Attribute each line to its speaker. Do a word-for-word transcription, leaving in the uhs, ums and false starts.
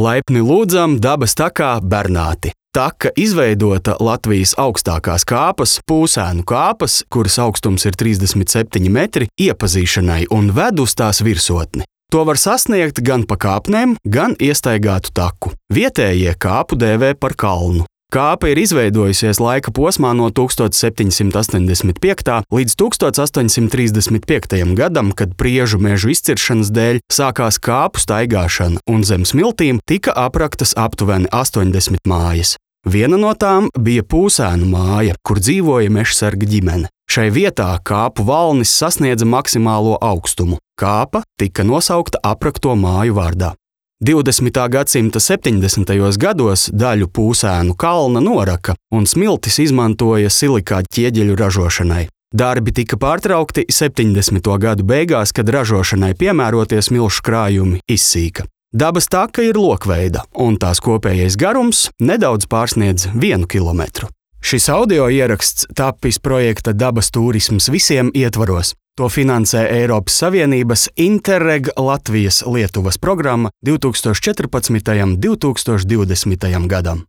Speaker 1: Laipni lūdzam dabas takā Bernāti. Taka izveidota Latvijas augstākās kāpas, Pūsēnu kāpas, kuras augstums ir trīsdesmit septiņi metri, iepazīšanai un ved uz tās virsotni. To var sasniegt gan pa kāpnēm, gan iestaigātu taku. Vietējie kāpu dēvē par kalnu. Kāpa ir izveidojusies laika posmā no tūkstoš septiņsimt astoņdesmit piektā līdz tūkstoš astoņsimt trīsdesmit piektajam gadam, kad priežu mežu izciršanas dēļ sākās kāpu staigāšana un zem smiltīm tika apraktas aptuveni astoņdesmit mājas. Viena no tām bija Pūsēnu māja, kur dzīvoja mežsarga ģimene. Šai vietā kāpu valnis sasniedza maksimālo augstumu. Kāpa tika nosaukta aprakto māju vārdā. divdesmitā gadsimta septiņdesmitajos gados daļu Pūsēnu kalna noraka un smiltis izmantoja silikāta ķieģeļu ražošanai. Darbi tika pārtraukti septiņdesmito gadu beigās, kad ražošanai piemērotie smilšu krājumi izsīka. Dabas taka ir lokveida, un tās kopējais garums nedaudz pārsniedz vienu kilometru. Šis audio ieraksts tapis projekta Dabas tūrisms visiem ietvaros. To finansē Eiropas Savienības Interreg Latvijas Lietuvas programma divtūkstoš četrpadsmitajam līdz divtūkstoš divdesmitajam gadam.